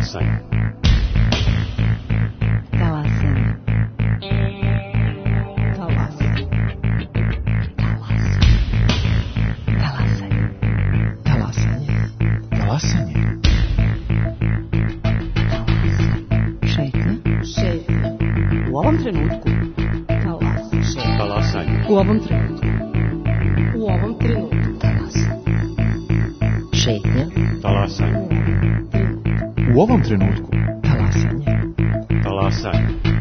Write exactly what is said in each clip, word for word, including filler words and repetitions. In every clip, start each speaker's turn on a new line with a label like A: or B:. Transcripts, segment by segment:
A: Talasanje.
B: Talasanje. Talasanje. Talasanje. Talasanje.
C: Talasanje.
B: Šetnja. Šetnja. U ovom trenutku. Talasanje.
A: Talasanje.
B: U ovom trenutku. U ovom trenutku. Talasanje. Šetnja.
A: Talasanje.
C: U ovom trenutku.
B: Talasanje.
A: Talasanje. Talasanje.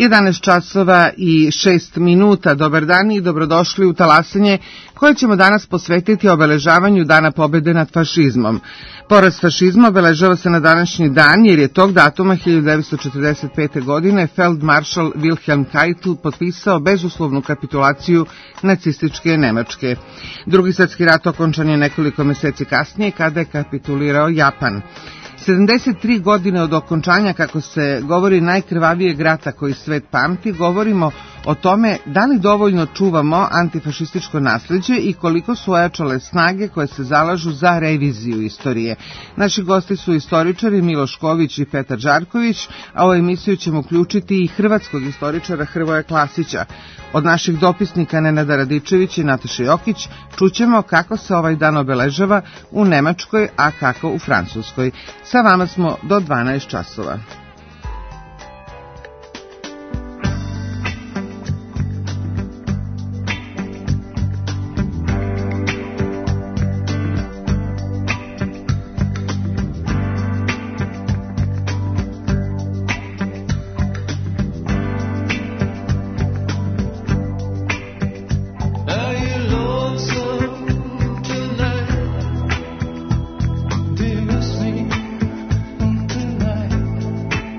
D: jedanaest časova i šest minuta. Dobar dan i dobrodošli u Talasanje, koje ćemo danas posvetiti obeležavanju Dana pobede nad fašizmom. Poraz fašizma obeležava se na današnji dan jer je tog datuma hiljadu devetsto četrdeset pete. godine feldmaršal Wilhelm Keitel potpisao bezuslovnu kapitulaciju nacističke Nemačke. Drugi svjetski rat okončan je nekoliko meseci kasnije kada je kapitulirao Japan. sedamdeset tri godine od okončanja, kako se govori, najkrvavijeg rata koji svet pamti, govorimo o tome da li dovoljno čuvamo antifašističko nasleđe i koliko su ojačale snage koje se zalažu za reviziju istorije. Naši gosti su istoričari Miloš Ković i Petar Žarković, a u emisiju ćemo uključiti i hrvatskog istoričara Hrvoja Klasića. Od naših dopisnika Nenada Radičevića i Nataše Jokić čućemo kako se ovaj dan obeležava u Nemačkoj, a kako u Francuskoj. Sa vama smo do dvanaest časova.
E: Dear, listening tonight.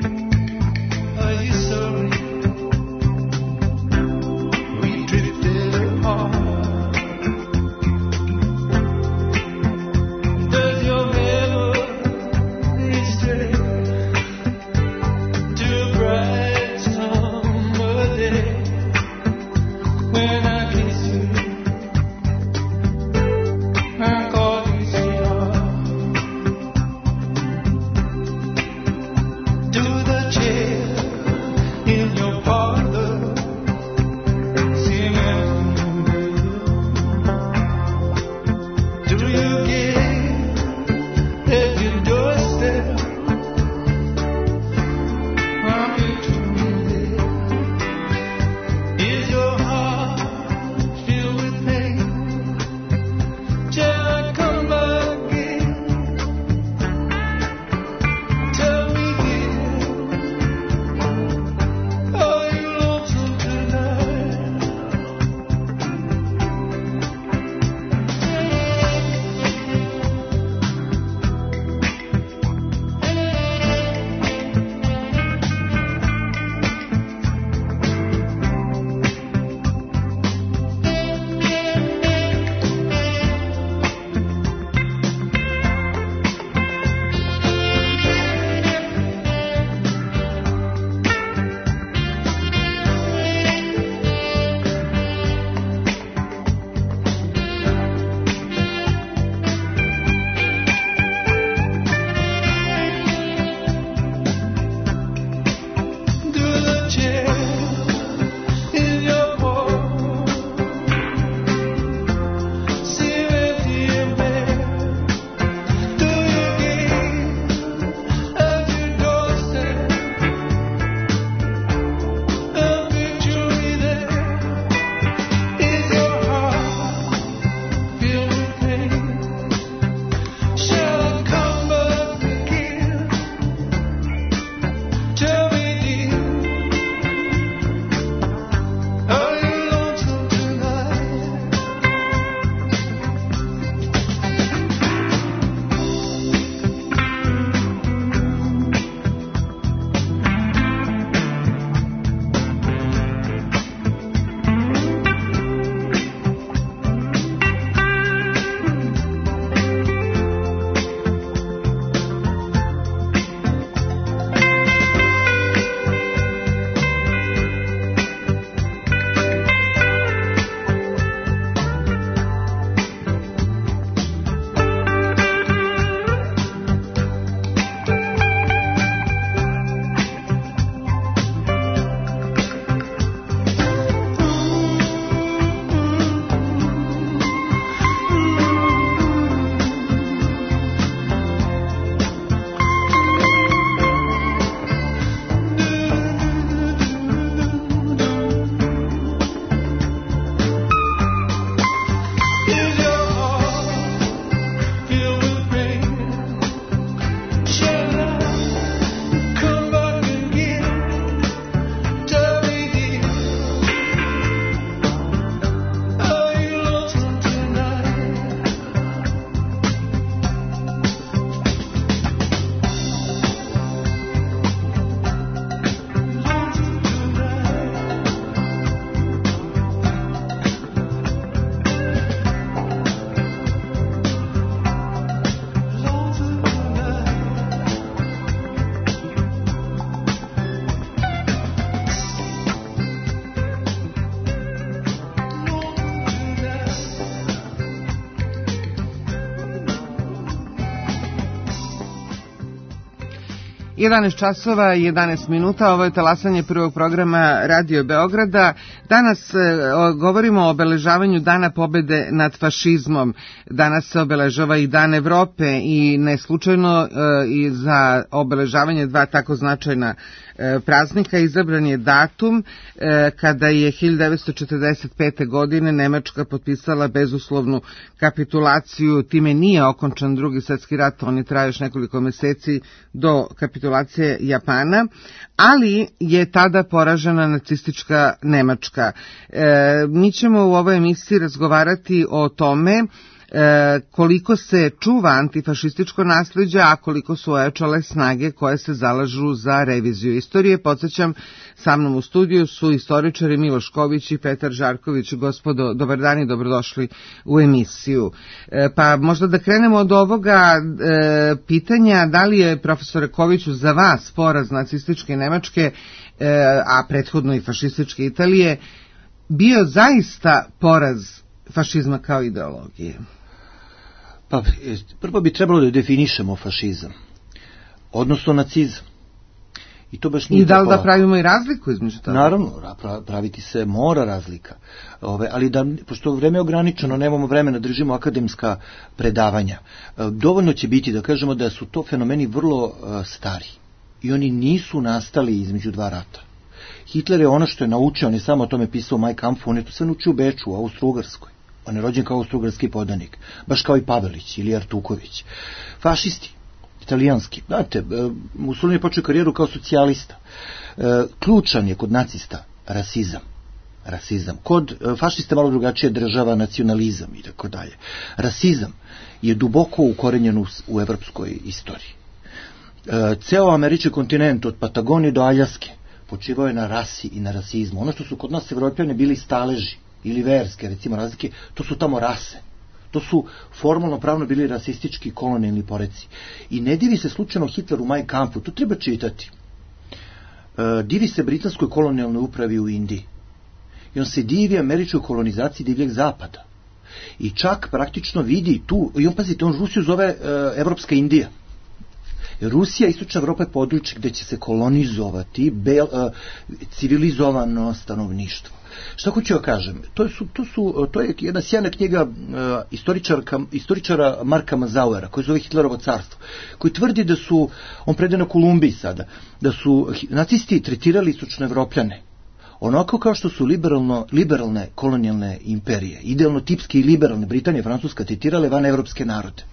D: jedanaest časova i jedanaest minuta, ovo je talasanje prvog programa Radio Beograda. Danas e, o, govorimo o obeležavanju Dana pobede nad fašizmom. Danas se obeležava i Dan Evrope i ne slučajno e, i za obeležavanje dva tako značajna e, praznika izabran je datum e, kada je hiljadu devetsto četrdeset pete. godine Nemačka potpisala bezuslovnu kapitulaciju. Time nije okončan drugi svjetski rat, on je trajao još nekoliko meseci do kapitulacije Japana, ali je tada poražena nacistička Nemačka. E, mi ćemo u ovoj emisiji razgovarati o tome E, koliko se čuva antifašističko nasleđe, a koliko su ojačale snage koje se zalažu za reviziju istorije. Podsjećam, sa mnom u studiju su istoričari Miloš Ković i Petar Žarković. Gospodo, dobar dan i dobrodošli u emisiju. E, pa možda da krenemo od ovoga e, pitanja, da li je, profesore Koviću, za vas poraz nacističke Nemačke, e, a prethodno i fašističke Italije, bio zaista poraz fašizma kao ideologije?
E: Pa, prvo bi trebalo da definišemo fašizam, odnosno nacizam. I to baš nije.
D: I da li
E: tako...
D: da pravimo i razliku između toga?
E: Naravno, praviti se mora razlika. Ove, ali da, pošto vreme je ograničeno, nemamo vremena, držimo akademska predavanja. Dovoljno će biti da kažemo da su to fenomeni vrlo uh, stari. I oni nisu nastali između dva rata. Hitler je ono što je naučio, on je samo o tome pisao u Mein Kampfu, on je to sve naučio u Beču, u Austro-Ugarskoj. On je rođen kao austro-ugarski podanik, baš kao i Pavelić ili Artuković. Fašisti, italijanski. Znate, Mussolini je počeo karijeru kao socijalista. Ključan je kod nacista rasizam. Rasizam. Kod fašista malo drugačije država, nacionalizam i tako dalje. Rasizam je duboko ukorenjen u, u evropskoj istoriji. Ceo američki kontinent od Patagonije do Aljaske počivao je na rasi i na rasizmu. Ono što su kod nas Evropljani bili staleži ili verske, recimo, razlike, to su tamo rase. To su formalno pravno bili rasistički kolonijalni poreci. I ne divi se slučajno Hitler u Mein Kampfu, to treba čitati. E, divi se britanskoj kolonijalnoj upravi u Indiji. I on se divi američkoj kolonizaciji divljeg zapada. I čak praktično vidi tu, i on, pazite, on Rusiju zove e, Evropska Indija. Rusija, istočna Evropa je područje gdje će se kolonizovati bel, uh, civilizovano stanovništvo. Šta hoću ja kažem? To, su, to, su, to je jedna sjajna knjiga uh, istoričara Marka Mazauera, koji zove Hitlerovo carstvo, koji tvrdi da su, on prede na Kolumbiji sada, da su nacisti tretirali istočno Evropljane onako kao što su liberalno, liberalne kolonijalne imperije, idealno tipske i liberalne, Britanija i Francuska, tretirale van evropske narode.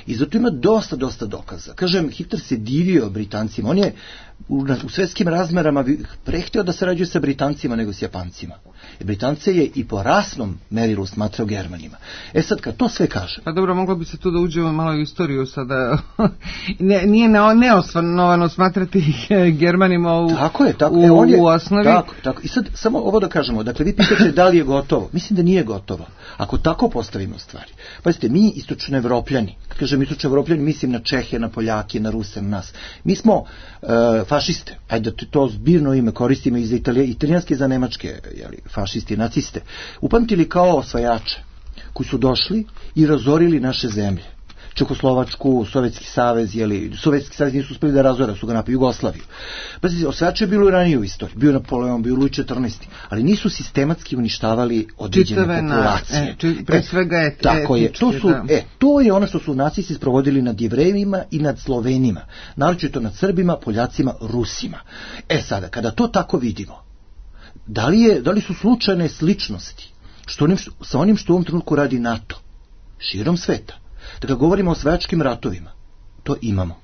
E: I zato ima dosta, dosta dokaza. Kažem, Hitler se divio Britancima. On je u, u svjetskim razmerama prehtio da sarađuje sa Britancima nego s Japancima. I Britance je i po rasnom merilu smatrao Germanima. E sad, kad to sve kažem...
D: Pa dobro, moglo bi se tu da uđemo malo u istoriju sada. ne, nije neosnovano smatrati Germanima u,
E: tako je, tako,
D: u,
E: e, on je,
D: u osnovi.
E: Tako, tako. I sad, samo ovo da kažemo. Dakle, vi pitate da li je gotovo. Mislim da nije gotovo. Ako tako postavimo stvari. Pazite, mi istočno Evropljani, kad kažem istočno Evropljani, mislim na Čehe, na Poljake, na Ruse, na nas. Mi smo uh, fašiste. Ajde da to zbirno ime koristimo i za Italije, italijanske i za nemačke, jeli, fašisti, naciste. Upamtili kao osvajače koji su došli i razorili naše zemlje. Čekoslovačku, Sovjetski savez, jeli, Sovjetski savez nisu uspeli da razore, su ga napali Jugoslaviju. Pazite, osvajače je bilo i ranije u istoriji. Bio Napoleon, bio Luj četrnaesti. Ali nisu sistematski uništavali određene
D: čitave
E: populacije.
D: Na, e, či, pre svega
E: e, tako je. To su, e, to je ono što su nacisti sprovodili nad Jevrejima i nad Slovenima. Naročito nad Srbima, Poljacima, Rusima. E sada, kada to tako vidimo, da li, je, da li su slučajne sličnosti što onim, sa onim što u ovom trenutku radi NATO širom sveta? Dakle, govorimo o osvajačkim ratovima. To imamo.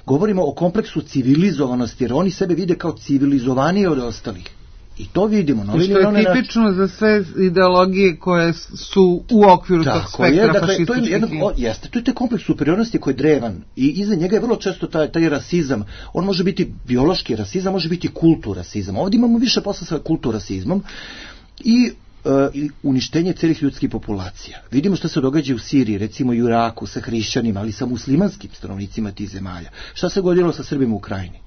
E: Govorimo o kompleksu civilizovanosti, jer oni sebe vide kao civilizovanije od ostalih. I to vidimo. No,
D: što je tipično način. Za sve ideologije koje su u okviru tog spektra
E: je, dakle,
D: fašističkih.
E: To je, jedno, o, jeste, to je taj kompleks superiornosti koji je drevan. I iza njega je vrlo često taj, taj rasizam. On može biti biološki rasizam, može biti kulturasizam. Ovdje imamo više posla sa kulturasizmom. I i uništenje celih ljudskih populacija. Vidimo što se događa u Siriji, recimo i u Iraku, sa hrišćanima, ali sa muslimanskim stanovnicima tih zemalja. Šta se godilo sa Srbima u Ukrajini?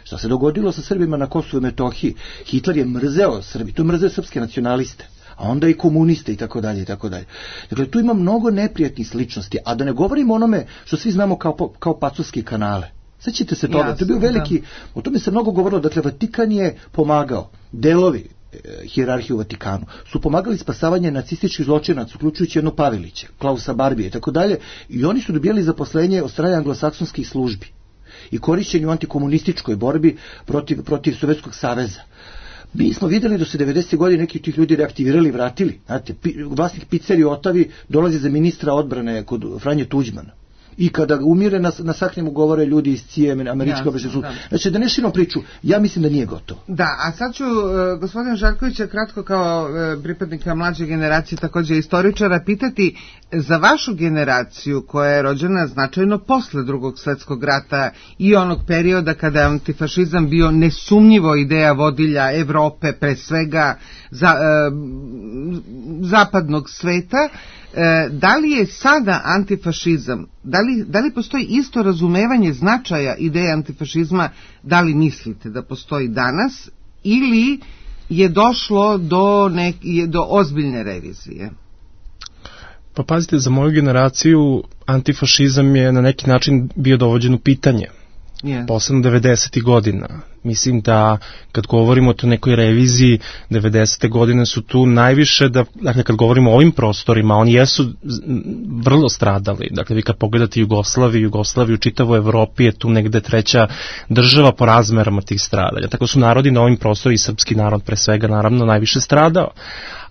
E: Šta se dogodilo sa Srbima na Kosovu i Metohiji? Hitler je mrzeo Srbi, to je mrzeo srpske nacionaliste, a onda i komuniste i tako dalje i tako dalje. Dakle, tu ima mnogo neprijatnih sličnosti, a da ne govorimo onome što svi znamo kao, kao pacovske kanale. Sećate se toga, to je bio veliki, da. O tome se mnogo govorilo, dakle Vatikan je pomagao, delovi e, hijerarhije u Vatikanu su pomagali spasavanje nacističkih zločinaca, uključujući jedno Pavelića, Klausa Barbije i tako dalje, i oni su dobijali zaposlenje od strane anglosaksonskih službi i korišćenju u antikomunističkoj borbi protiv, protiv Sovjetskog saveza. Mi smo vidjeli da se devedesetih godine neki od tih ljudi reaktivirali i vratili. Znate, vlasnik pizzerije Otavi dolazi za ministra odbrane kod Franje Tuđmana. I kada umire na, na sahnjemu govore ljudi iz C I E, američka obaveštajna služba. Znači, da ne širimo priču, ja mislim da nije gotovo.
D: Da, a sad ću uh, gospodina Žarkovića kratko kao uh, pripadnika mlađe generacije, također istoričara, pitati za vašu generaciju koja je rođena značajno posle Drugog svjetskog rata i onog perioda kada je antifašizam bio nesumnjivo ideja vodilja Evrope, pre svega za, uh, zapadnog sveta. Da li je sada antifašizam, da li, da li postoji isto razumevanje značaja ideje antifašizma, da li mislite da postoji danas, ili je došlo do, nek, do ozbiljne revizije?
F: Pa pazite, za moju generaciju antifašizam je na neki način bio dovođen u pitanje. Yeah. Posebno devedesetih godina. Mislim da kad govorimo o toj nekoj reviziji, devedesete godine su tu najviše, da, dakle kad govorimo o ovim prostorima, oni jesu vrlo stradali. Dakle, vi kad pogledate Jugoslaviju, Jugoslaviju u čitavoj Evropi je tu negde treća država po razmerama tih stradanja. Tako su narodi na ovim prostorima, i srpski narod pre svega naravno najviše stradao.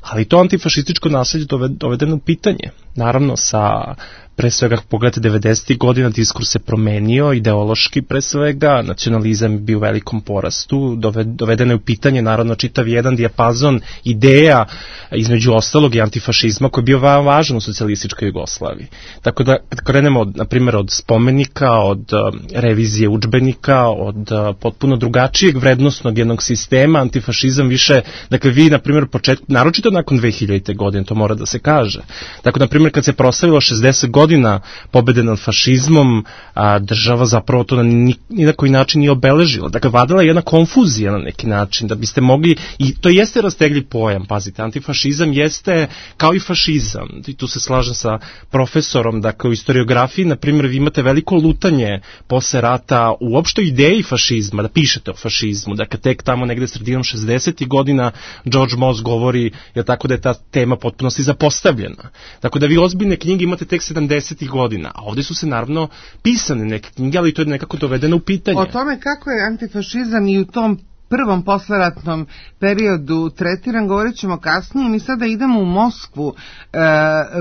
F: Ali to antifašističko nasilje dovedeno u pitanje. Naravno, sa pre svega, pogledajte, devedesetih godina diskurs se promenio, ideološki pre svega, nacionalizam je bio u velikom porastu, dovedeno je u pitanje, naravno, čitav jedan dijapazon ideja, između ostalog i antifašizma, koji je bio veoma važan u socijalističkoj Jugoslaviji. Tako da, kad krenemo, od, na primjer, od spomenika, od uh, revizije udžbenika, od uh, potpuno drugačijeg vrednostnog jednog sistema, antifašizam više, dakle, vi, na primjer, početku, naročito nakon dve hiljadite godine, to mora da se kaže. Tako, na primjer, kad se proslavilo šezdeset godina pobede nad fašizmom, a, država zapravo to na ni, ni na koji način nije obeležila. Dakle, vladala je jedna konfuzija na neki način, da biste mogli, i to jeste rastegli pojam, pazite, antifašizam jeste kao i fašizam, i tu se slažem sa profesorom, dakle, u historiografiji, na primjer, vi imate veliko lutanje posle rata u opštoj ideji fašizma, da pišete o fašizmu, dakle, tek tamo negde sredinom šezdesetih godina George Moss govori, je tako da je ta tema potpunosti zapostavljena. Tako da vi ozbiljne knjige imate tek sedamdesetih godina, a ovdje su se naravno pisane neke knjige, ali to je nekako dovedeno u pitanje.
D: O tome kako je antifašizam i u tom prvom posleratnom periodu tretiran, govorit ćemo kasnije. Mi sada idemo u Moskvu. E,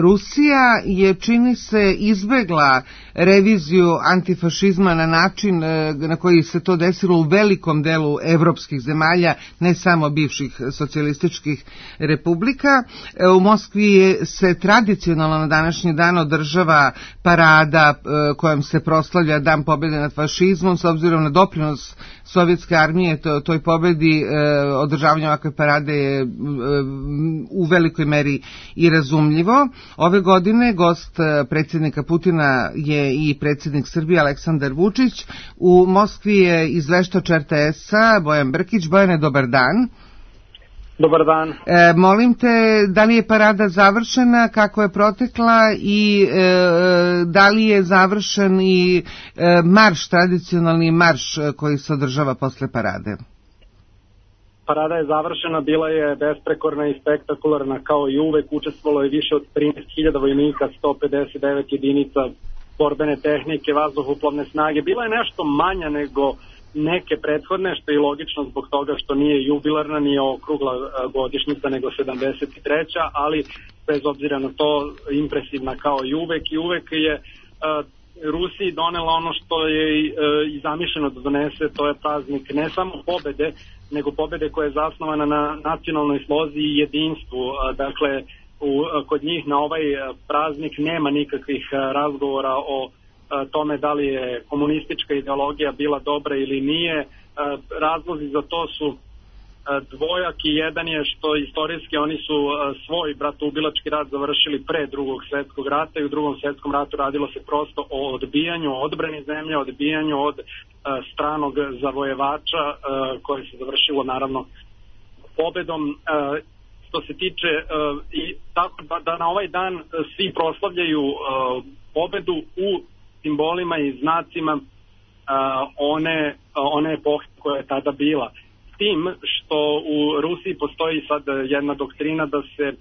D: Rusija je, čini se, izbegla reviziju antifašizma na način e, na koji se to desilo u velikom delu evropskih zemalja, ne samo bivših socijalističkih republika. E, u Moskvi je se tradicionalno na današnji dan održava parada e, kojom se proslavlja Dan pobjede nad fašizmom, s obzirom na doprinos sovjetske armije to, toj pobedi. E, održavanje ovakve parade je e, u velikoj meri i razumljivo. Ove godine gost predsjednika Putina je i predsjednik Srbije Aleksandar Vučić. U Moskvi je izveštač R T S-a Bojan Brkić. Bojane, dobar dan.
G: Dobar dan.
D: E, molim te, da li je parada završena, kako je protekla i e, da li je završen i e, marš, tradicionalni marš koji se održava posle parade?
G: Parada je završena, bila je besprekorna i spektakularna kao i uvek, učestvovalo je više od trinaest hiljada vojnika, sto pedeset devet jedinica borbene tehnike, vazduhoplovne snage. Bila je nešto manja nego neke prethodne, što je logično zbog toga što nije jubilarna, nije okrugla godišnjica, nego sedamdeset treća, ali bez obzira na to impresivna kao i uvek, i uvek je uh, Rusiji donela ono što je uh, i zamišljeno da donese, to je praznik ne samo pobede, nego pobede koja je zasnovana na nacionalnoj slozi i jedinstvu. Uh, dakle, u, uh, kod njih na ovaj uh, praznik nema nikakvih uh, razgovora o tome da li je komunistička ideologija bila dobra ili nije. Razlozi za to su dvojaki. Jedan je što istorijski oni su svoj bratoubilački rat završili pre Drugog svjetskog rata i u Drugom svjetskom ratu radilo se prosto o odbijanju, odbrani zemlje, odbijanju od stranog zavojevača koje se završilo naravno pobedom. Što se tiče i tako da, da na ovaj dan svi proslavljaju pobedu u simbolima i znacima one, one epohe koja je tada bila. S tim što u Rusiji postoji sad jedna doktrina da se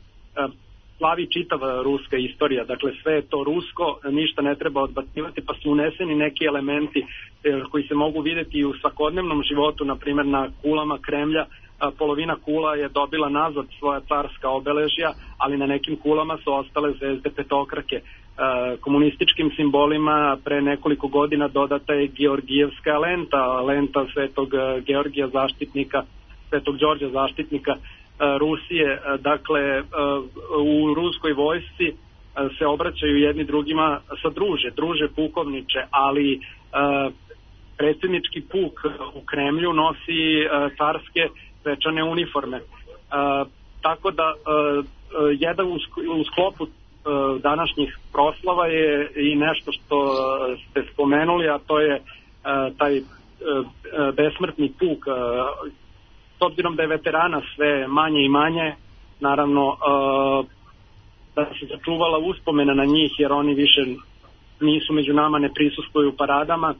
G: slavi čitava ruska istorija, dakle sve je to rusko, ništa ne treba odbacivati, pa su uneseni neki elementi koji se mogu vidjeti i u svakodnevnom životu, na primjer na kulama Kremlja. Polovina kula je dobila nazad svoja carska obeležja, ali na nekim kulama su ostale zvezde petokrake. Komunističkim simbolima pre nekoliko godina dodata je Georgijevska lenta, lenta Svetog Georgija zaštitnika, Svetog Đorđa zaštitnika Rusije. Dakle, u ruskoj vojsci se obraćaju jedni drugima sa druže, druže pukovniče, ali predsjednički puk u Kremlju nosi carske svečane uniforme. Tako da jedan u sklopu današnjih proslava je i nešto što ste spomenuli, a to je taj besmrtni puk. S obzirom da je veterana sve manje i manje, naravno da se začuvala uspomena na njih, jer oni više nisu među nama, ne prisustvuju u paradama,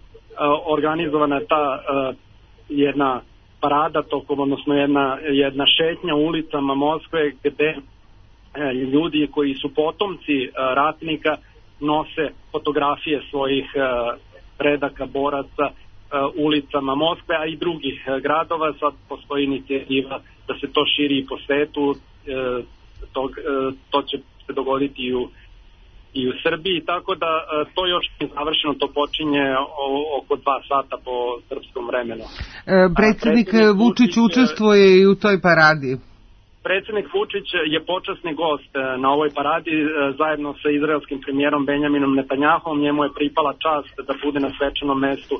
G: organizovana je ta jedna parada tokom, odnosno jedna, jedna šetnja ulicama Moskve gde ljudi koji su potomci ratnika nose fotografije svojih predaka, boraca ulicama Moskve, a i drugih gradova. Sad postoji inicijativa da se to širi i po svetu, to, to će se dogoditi i u, i u Srbiji, tako da to još nije završeno, to počinje oko dva sata po srpskom vremenu.
D: E, predsjednik Vučić učestvuje i u toj paradi.
G: Predsjednik Vučić je počasni gost na ovoj paradi zajedno sa izraelskim premijerom Benjaminom Netanjahom. Njemu je pripala čast da bude na svečanom mestu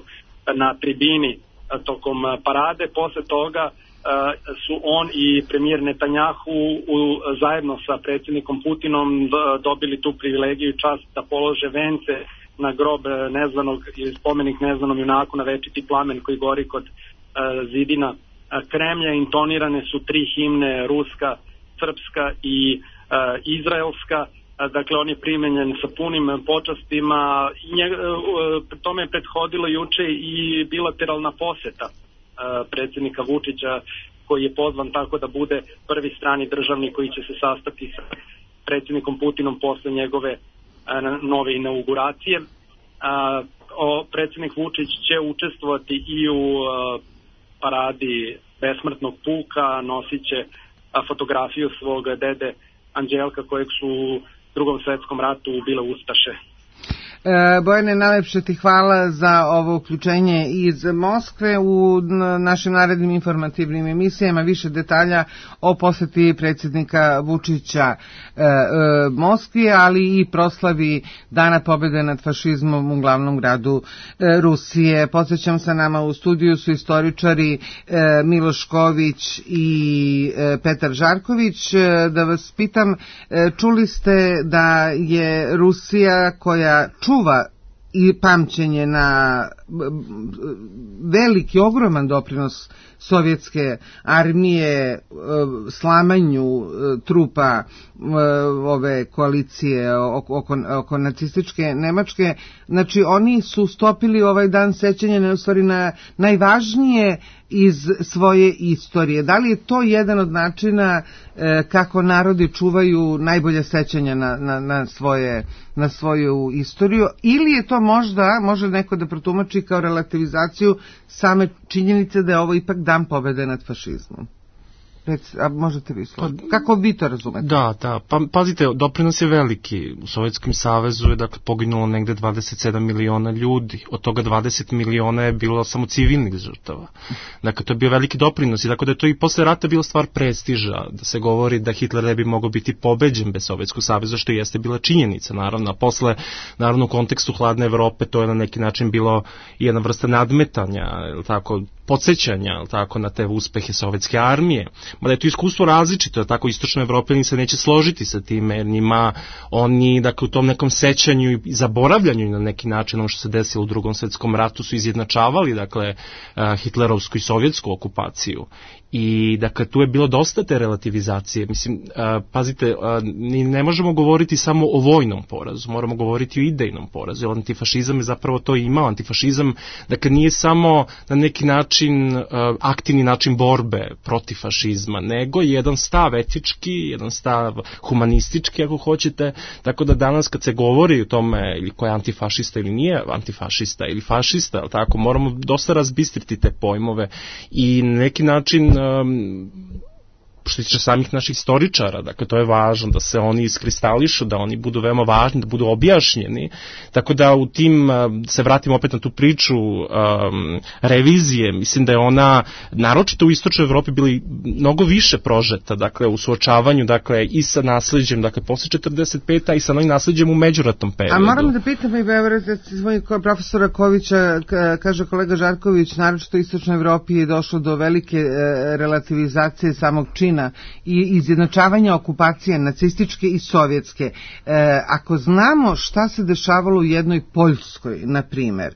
G: na tribini tokom parade. Posle toga su on i premijer Netanjahu zajedno sa predsjednikom Putinom dobili tu privilegiju i čast da polože vence na grob nezvanog ili spomenik nezvanom junaku na večiti plamen koji gori kod zidina Kremlja. Intonirane su tri himne, ruska, srpska i uh, izraelska. Dakle, on je primenjen sa punim počastima. Nje, uh, tome je prethodilo juče i bilateralna poseta uh, predsjednika Vučića, koji je pozvan tako da bude prvi strani državnik koji će se sastati sa predsjednikom Putinom posle njegove uh, nove inauguracije. Uh, o, predsjednik Vučić će učestvovati i u uh, paradi besmrtnog puka, nosit će fotografiju svog dede Anđelka kojeg su u drugom svjetskom ratu ubile ustaše.
D: E, Bojane, najlepše ti hvala za ovo uključenje iz Moskve. U našim narednim informativnim emisijama više detalja o posjeti predsjednika Vučića e, e, Moskvi, ali i proslavi Dana pobjede nad fašizmom u glavnom gradu e, Rusije. Podsjećam, sa nama u studiju su istoričari e, Miloš Ković i e, Petar Žarković. E, da vas pitam, e, čuli ste da je Rusija, koja čuva i pamćenje na veliki, ogroman doprinos sovjetske armije slamanju trupa ove koalicije oko, oko nacističke Nemačke, znači oni su stopili ovaj dan sećanja na, u stvari, na najvažnije iz svoje istorije. Da li je to jedan od načina e, kako narodi čuvaju najbolje sećanja na, na, na, svoje, na svoju istoriju, ili je to možda, može neko da protumači kao relativizaciju same činjenice da je ovo ipak dan pobjede nad fašizmom? Rec, a možete vi složiti? Kako vi to razumete?
F: Da, da, pa pazite, doprinos je veliki. U Sovjetskom savezu je dakle poginulo negde dvadeset sedam miliona ljudi, od toga dvadeset miliona je bilo samo civilnih žrtava. Dakle, to je bio veliki doprinos i tako da je to i posle rata bila stvar prestiža, da se govori da Hitler ne bi mogao biti pobeđen bez Sovjetskog saveza, što jeste bila činjenica, naravno. A posle, naravno, u kontekstu hladne Evrope to je na neki način bilo jedna vrsta nadmetanja, tako, podsjećanja, tako, na te uspehe sovjetske armije. Mada je to iskustvo različito, tako istočno evropljani se neće složiti sa time, jer njima oni, dakle, u tom nekom sećanju i zaboravljanju na neki način ono što se desilo u Drugom svetskom ratu su izjednačavali, dakle, hitlerovsku i sovjetsku okupaciju. I, dakle, tu je bilo dosta te relativizacije. Mislim, pazite, ne možemo govoriti samo o vojnom porazu, moramo govoriti o idejnom porazu, jer antifašizam je zapravo to imao. Antifašizam, dakle, nije samo na neki način aktivni način borbe protiv fašizma, nego jedan stav etički, jedan stav humanistički, ako hoćete, tako da danas kad se govori o tome ili ko je antifašista ili nije antifašista ili fašista, tako, moramo dosta razbistriti te pojmove i na neki način um, što se tiče samih naših istoričara, dakle to je važno da se oni iskristališu, da oni budu veoma važni, da budu objašnjeni, tako da u tim, se vratimo opet na tu priču um, revizije, mislim da je ona, naročito u istočnoj Evropi, bili mnogo više prožeta, dakle u suočavanju, dakle i sa nasleđem, dakle posle četrdeset pete i sa novim nasleđem u međuratnom periodu.
D: A moram da pitam i svoj profesora Kovića, kaže kolega Žarković, naročito u istočnoj Evropi je došlo do velike e, relativizacije samog čina i izjednačavanja okupacije nacističke i sovjetske. E, ako znamo šta se dešavalo u jednoj Poljskoj, na primer,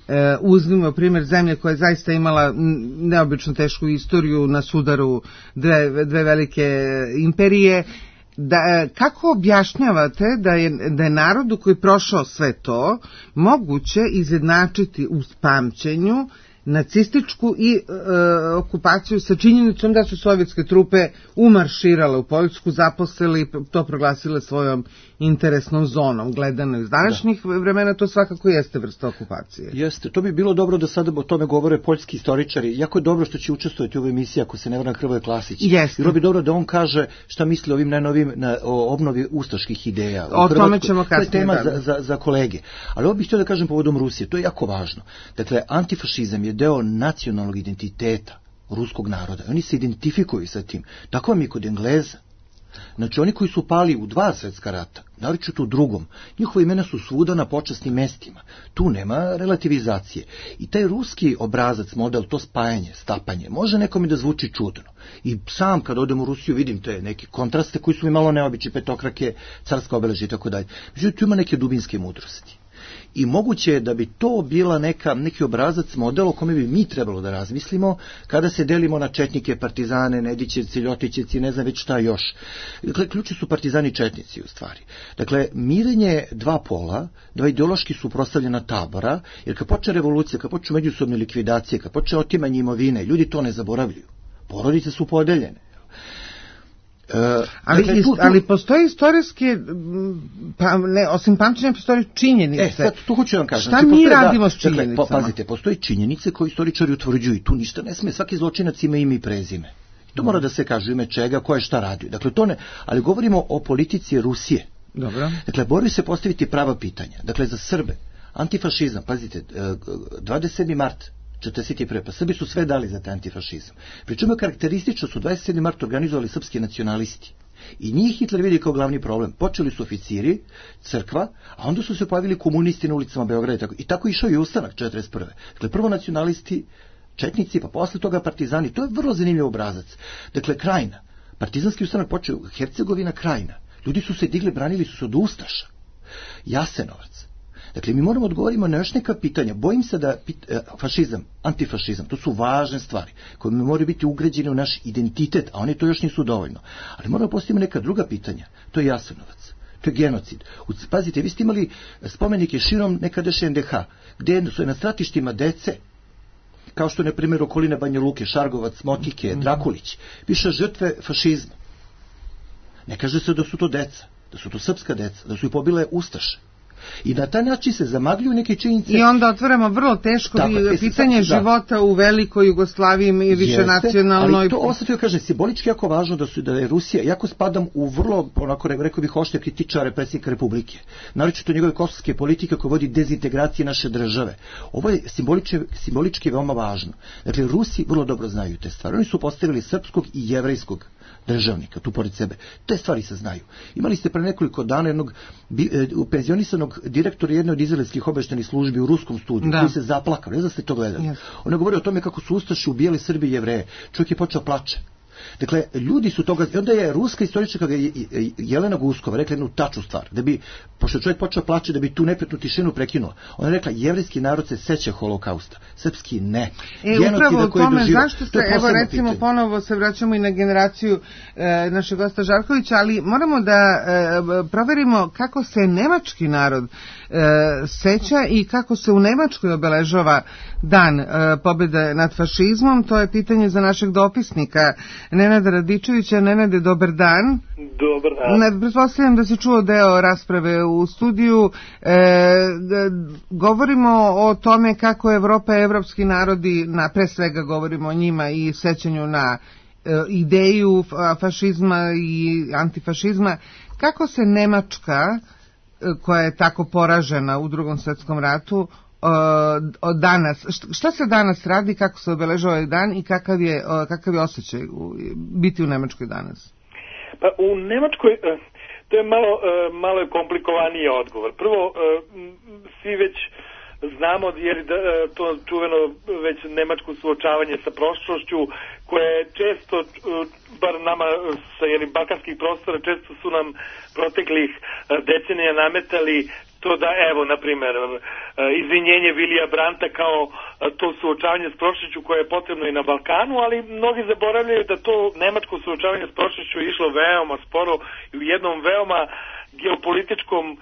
D: e, uzmimo primjer zemlje koja je zaista imala neobično tešku istoriju na sudaru dve, dve velike imperije, da, kako objašnjavate da je, da je narodu koji je prošao sve to moguće izjednačiti u pamćenju nacističku i e, okupaciju sa činjenicom da su sovjetske trupe umarširale u Poljsku, zaposlili i to proglasile svojom interesnom zonom. Gledano iz današnjih da. vremena to svakako jeste vrsta okupacije.
E: Jeste, to bi bilo dobro da sada o tome govore poljski istoričari. Jako je dobro što će učestvovati u ovoj emisiji, ako se ne varam, Hrvoje Klasić.
D: Jeste.
E: Bilo bi dobro da on kaže šta misli o ovim najnovim na, o obnovi ustaških ideja.
D: O tome ćemo kasnije.
E: To je tema za, za, za kolege. Ali ovo bih htio da kažem povodom Rusije, to je jako važno. Dakle, antifašizam je deo nacionalnog identiteta ruskog naroda. Oni se identifikuju sa tim. Tako vam je kod Engleza. Znači, oni koji su pali u dva svjetska rata, naročito u drugom, njihova imena su svuda na počasnim mestima. Tu nema relativizacije. I taj ruski obrazac, model, to spajanje, stapanje, može nekome da zvuči čudno. I sam kad odem u Rusiju vidim te neke kontraste koji su mi malo neobični, petokrake, carska obeležja i tako dalje. Međutim, tu ima neke dubinske mudrosti. I moguće je da bi to bila neka, neki obrazac, model o kome bi mi trebalo da razmislimo kada se delimo na četnike, partizane, Nedićevci, Ljotićevci, ne znam već šta još. Dakle, ključi su partizani četnici u stvari. Dakle, mirenje dva pola, dva ideološki suprotstavljena tabora, jer kad počne revolucija, kad počne međusobne likvidacije, kad počne otimanje imovine, ljudi to ne zaboravljaju. Porodice su podeljene.
D: Uh, ali, dakle, tu, tu, ali postoji istorijske, pa, ne, osim pamćenja postoji činjenice.
E: E, sad tu hoću vam kažem.
D: Šta
E: znači,
D: mi
E: postoje,
D: radimo
E: da,
D: s činjenicama?
E: Dakle, pazite, postoji činjenice koje istoričari utvrđuju i tu ništa ne sme. Svaki zločinac ima ime i prezime. To mora da se kaže ime čega, ko je šta radio. Dakle, to ne, ali govorimo o politici Rusije.
D: Dobro.
E: Dakle, moraju se postaviti prava pitanja. Dakle, za Srbe, antifašizam, pazite, dvadeset sedmi mart četrdeset prve. Pa Srbi su sve dali za taj antifašizam. Pričemu je karakteristično su dvadeset sedmi mart organizovali srpski nacionalisti. I njih Hitler vidi kao glavni problem. Počeli su oficiri, crkva, a onda su se pojavili komunisti na ulicama Beograda i tako. I tako išao i ustanak četrdeset prve. Dakle, prvo nacionalisti, četnici, pa posle toga partizani. To je vrlo zanimljiv obrazac. Dakle, Krajina. Partizanski ustanak počeo, Hercegovina, Krajina. Ljudi su se digli, branili su se od ustaša. Jasenovac. Dakle, mi moramo odgovoriti na još neka pitanja. Bojim se da pit, eh, fašizam, antifašizam, to su važne stvari koje mi moraju biti ugrađene u naš identitet, a oni to još nisu dovoljno. Ali moramo postaviti neka druga pitanja. To je Jasenovac, to je genocid. Pazite, vi ste imali spomenike širom nekadašnje en de ha, gdje su na stratištima dece, kao što je, na primjer, okoline Banja Luke, Šargovac, Motike, Drakulić, piše žrtve fašizma. Ne kaže se da su to deca, da su to srpska deca, da su ih pobile ustaše. I na taj način se zamagljuju neke činjenice.
D: I onda otvaramo vrlo teško tako, pitanje sad, života da. u velikoj Jugoslaviji i više nacionalnoj.
E: Ali to ostavio, kaže, simbolički jako važno da su da je Rusija, jako spadam u vrlo, onako rekao bih, oštre kritičare predsjednika Republike. Naročito njegove kosovske politike koje vodi dezintegracije naše države. Ovo je simbolički, simbolički veoma važno. Dakle, Rusi vrlo dobro znaju te stvari. Oni su postavili srpskog i jevrejskog državnika tu pored sebe. Te stvari se znaju. Imali ste pre nekoliko dana jednog penzionisanog direktora jedne od izraelskih obaveštajnih službi u ruskom studiju, da. Koji se zaplakao, ne znam da ste to gledali. Yes. On je govorio o tome kako su ustaše ubijali Srbi i Jevreje. Čovjek je počeo plače. Dakle, ljudi su toga, onda je ruska istoričarka Jelena Guskova rekla jednu tačnu stvar, da bi, pošto čovjek počeo plaći, da bi tu nepretnu tišinu prekinula. Ona je rekla, jevrijski narod se seća holokausta, srpski ne.
D: E, upravo o tome, zašto se, evo recimo pitanje. Ponovo se vraćamo i na generaciju e, našeg gosta Žarkovića, ali moramo da e, proverimo kako se nemački narod e, seća i kako se u Nemačkoj obeležava dan e, pobjede nad fašizmom. To je pitanje za našeg dopisnika Nenada Radičevića. Nenade, dobar dan.
H: Dobar dan.
D: Pretpostavljam da si čuo deo rasprave u studiju. E, govorimo o tome kako Evropa i evropski narodi, na, pre svega govorimo o njima i sećanju na e, ideju fašizma i antifašizma. Kako se Nemačka, koja je tako poražena u Drugom svjetskom ratu, od danas, šta se danas radi, kako se obeležava ovaj dan i kakav je, kakav je osjećaj biti u Nemačkoj danas?
H: Pa u Nemačkoj to je malo, malo je komplikovaniji odgovor. Prvo, svi već znamo, jer to čuveno već nemačko suočavanje sa prošlošću, koje je često, bar nama sa jeli, balkanskih prostora, često su nam proteklih decenija nametali to da, evo, na primjer, izvinjenje Vilija Brandta kao to suočavanje s prošlošću koje je potrebno i na Balkanu, ali mnogi zaboravljaju da to nemačko suočavanje s prošlošću je išlo veoma sporo i u jednom veoma geopolitičkom um, um,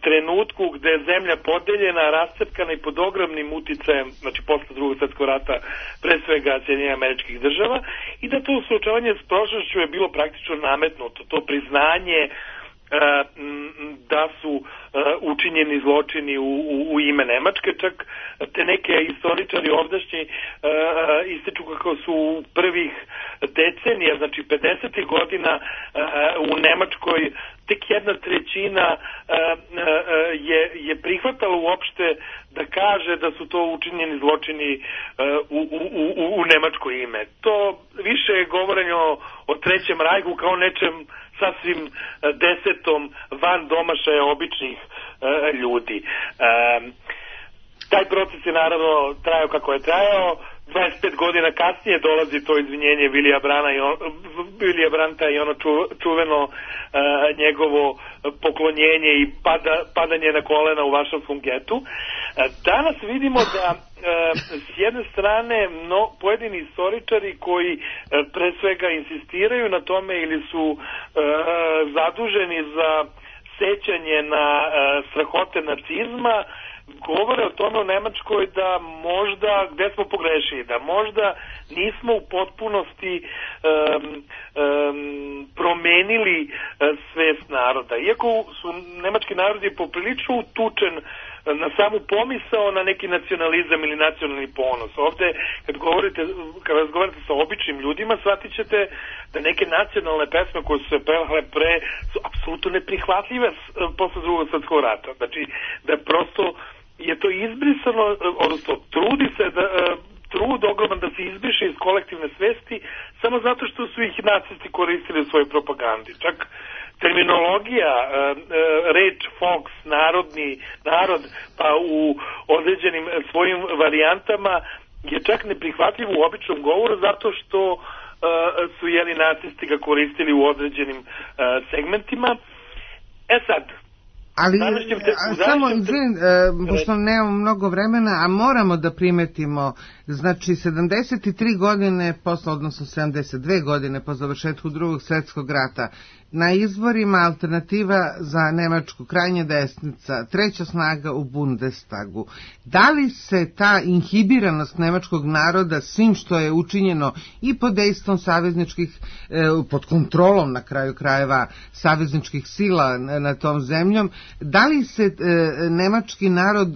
H: trenutku gde je zemlja podeljena, rascepkana i pod ogromnim uticajem, znači posle Drugog svjetskog rata, pre svega Sjedinjenih Američkih Država, i da to suočavanje s prošlošću je bilo praktično nametnuto, to priznanje da su učinjeni zločini u, u, u ime Nemačke, čak te neke istoričari ovdašnji ističu kako su u prvih decenija, znači pedesetih godina u Nemačkoj tek jedna trećina je, je prihvatala uopšte da kaže da su to učinjeni zločini u, u, u, u nemačko ime. To više je govorenje o, o Trećem rajhu kao nečem sasvim desetom van domašaja običnih e, ljudi. E, taj proces je naravno trajao kako je trajao. dvadeset pet godina kasnije dolazi to izvinjenje Vilija Brana i on, Vilija Brandta i ono ču, čuveno e, njegovo poklonjenje i pada, padanje na kolena u Varšavskom getu. E, danas vidimo da e, s jedne strane no, pojedini istoričari koji e, pre svega insistiraju na tome ili su e, zaduženi za sećanje na e, strahote nacizma, govore o tome u Nemačkoj da možda, gde smo pogrešili, da možda nismo u potpunosti um, um, promenili uh, svest naroda. Iako su nemački narodi poprilično utučen na samu pomisao na neki nacionalizam ili nacionalni ponos. Ovde, kad govorite, kad razgovarate sa običnim ljudima, shvatit ćete da neke nacionalne pesme koje su se pevale pre su apsolutno neprihvatljive posle Drugog svjetskog rata. Znači, da prosto je to izbrisano, odnosno trudi se da trud ogroman da se izbriše iz kolektivne svesti samo zato što su ih nacisti koristili u svojoj propagandi. Čak terminologija, reč Volks, narodni, narod, pa u određenim svojim varijantama je čak neprihvatljiv u običnom govoru zato što su jeli nacisti ga koristili u određenim segmentima. E sad,
D: ali te, samo, izvin, e, pošto nemamo mnogo vremena, a moramo da primetimo, znači sedamdeset tri godine posle, odnosno sedamdeset dve godine po završetku Drugog svjetskog rata, na izborima alternativa za Nemačku, krajnja desnica, treća snaga u Bundestagu. Da li se ta inhibiranost nemačkog naroda svim što je učinjeno i pod dejstvom savezničkih, pod kontrolom na kraju krajeva savezničkih sila na tom zemljom, da li se nemački narod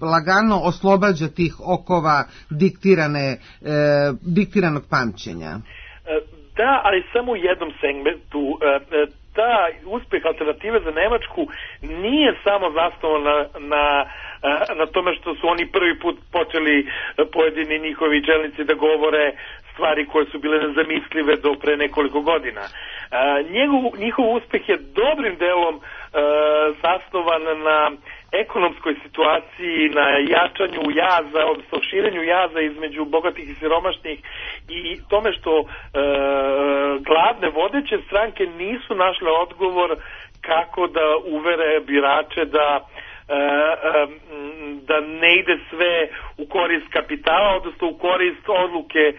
D: lagano oslobađa tih okova diktirane, diktiranog pamćenja?
H: Da, ali samo u jednom segmentu. Ta uspeh alternative za Nemačku nije samo zasnovan na, na, na tome što su oni prvi put počeli pojedini njihovi čelnici da govore stvari koje su bile nezamislive do pre nekoliko godina. Njegov, njihov uspeh je dobrim delom zasnovan na ekonomskoj situaciji, na jačanju jaza, odnosno širenju jaza između bogatih i siromašnih i tome što e, glavne vodeće stranke nisu našle odgovor kako da uvere birače da e, e, da ne ide sve u korist kapitala, odnosno u korist odluke e,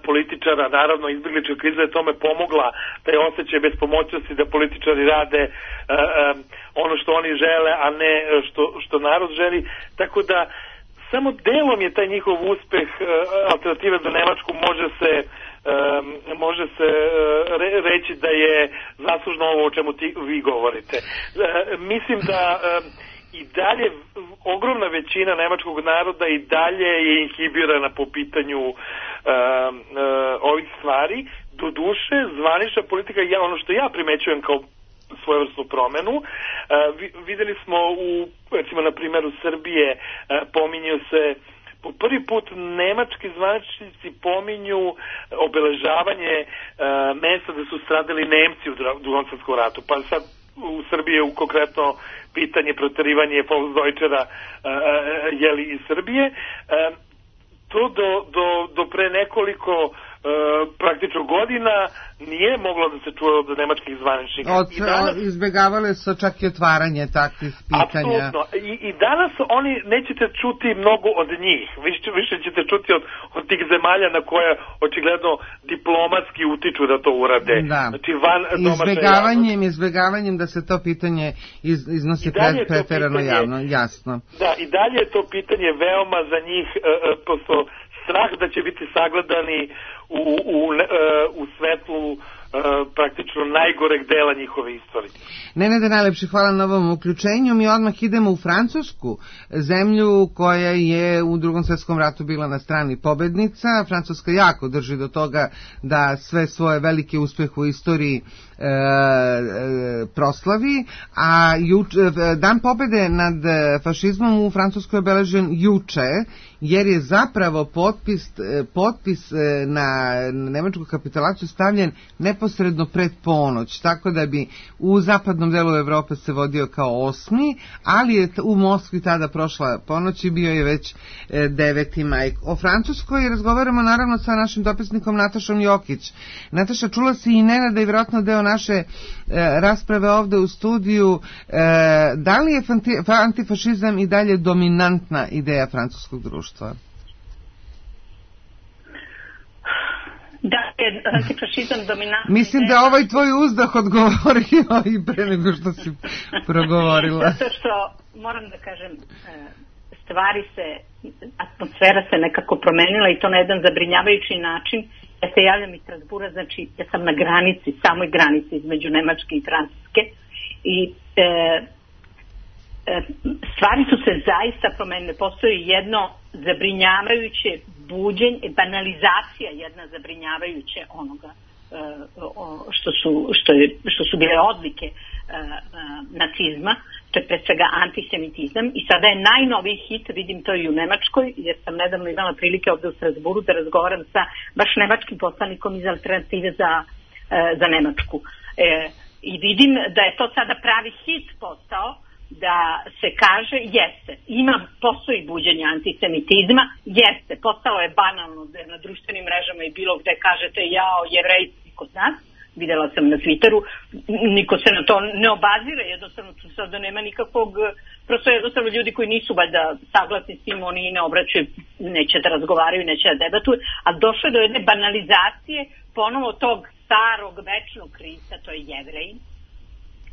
H: političara. Naravno, izbjeglička kriza je tome pomogla, taj osjećaj bespomoćnosti da političari rade e, e, ono što oni žele, a ne što, što narod želi. Tako da samo delom je taj njihov uspeh e, alternative za Nemačku može se Um, može se uh, re, reći da je zaslužno ovo o čemu ti, vi govorite. Uh, mislim da um, i dalje ogromna većina nemačkog naroda i dalje je inhibirana po pitanju um, uh, ovih stvari. Do duše, zvanična politika, ja, ono što ja primećujem kao svojevrsnu promenu, uh, vi, videli smo u, recimo na primjeru Srbije, uh, pominju se po prvi put nemački zvaničnici pominju obeležavanje e, mesta da su stradali Nemci u Drugom svjetskom ratu. Pa sad u Srbiji je konkretno pitanje proterivanje Volksdeutschera e, jeli iz Srbije. E, to do, do, do pre nekoliko e, praktično godina nije moglo da se čuje od nemačkih zvaničnika.
D: Od, I danas, izbjegavale su čak i otvaranje takvih pitanja.
H: Apsolutno. I, I danas oni nećete čuti mnogo od njih. Više, više ćete čuti od, od tih zemalja na koje očigledno diplomatski utiču da to urade.
D: Da.
H: Znači van
D: izbjegavanjem, izbjegavanjem da se to pitanje iz, iznosi preterano javno, jasno.
H: Da, i dalje je to pitanje veoma za njih uh, prosto strah da će biti sagledani u, u, u svetlu uh, praktično najgoreg dela njihove istorije.
D: Nenade, najlepše hvala na ovom uključenju. Mi odmah idemo u Francusku, zemlju koja je u Drugom svjetskom ratu bila na strani pobednica. Francuska jako drži do toga da sve svoje velike uspjehe u istoriji E, e, proslavi, a juč, dan pobjede nad fašizmom u Francuskoj je obeležen juče, jer je zapravo potpis, potpis na nemačku kapitulaciju stavljen neposredno pred ponoć, tako da bi u zapadnom delu Evrope se vodio kao osmi, ali je u Moskvi tada prošla ponoć i bio je već deveti maj. O Francuskoj razgovaramo naravno sa našim dopisnikom Natašom Jokić. Nataša, čula si i Nenada i vjerojatno deo naše e, rasprave ovde u studiju. E, da li je fanti, antifašizam i dalje dominantna ideja francuskog društva?
I: Da je antifašizam dominantna
D: Mislim
I: ideja.
D: da ovaj tvoj uzdah odgovorio i pre nego što si progovorila.
I: Zato što, moram da kažem, stvari se, atmosfera se nekako promenila i to na jedan zabrinjavajući način. Ja se javljam iz Strasbura, znači ja sam na granici, samoj granici između Nemačke i Francuske i e, e, stvari su se zaista promenile. Postoji jedno zabrinjavajuće buđenje, banalizacija jedna zabrinjavajuće onoga e, o, što, su, što, je, što su bile odlike e, e, nacizma, to je pre svega antisemitizam i sada je najnoviji hit, vidim to i u Nemačkoj, jer sam nedavno imala prilike ovdje u Strasburu da razgovaram sa baš nemačkim poslanikom iz Alternative za, e, za Nemačku. E, I vidim da je to sada pravi hit postao, da se kaže jeste, ima, postoji buđenje antisemitizma, jeste, postalo je banalno da na društvenim mrežama i bilo gde kažete jao, Jevreji kod nas, videla sam na Twitteru, niko se na to ne obazire, jednostavno tu sada nema nikakvog, prosto jednostavno ljudi koji nisu valjda saglasni s tim, oni ne obraćaju, neće da razgovaraju, neće da debatuju, a došlo je do jedne banalizacije ponovo tog starog večnog krivca, to je Jevrej,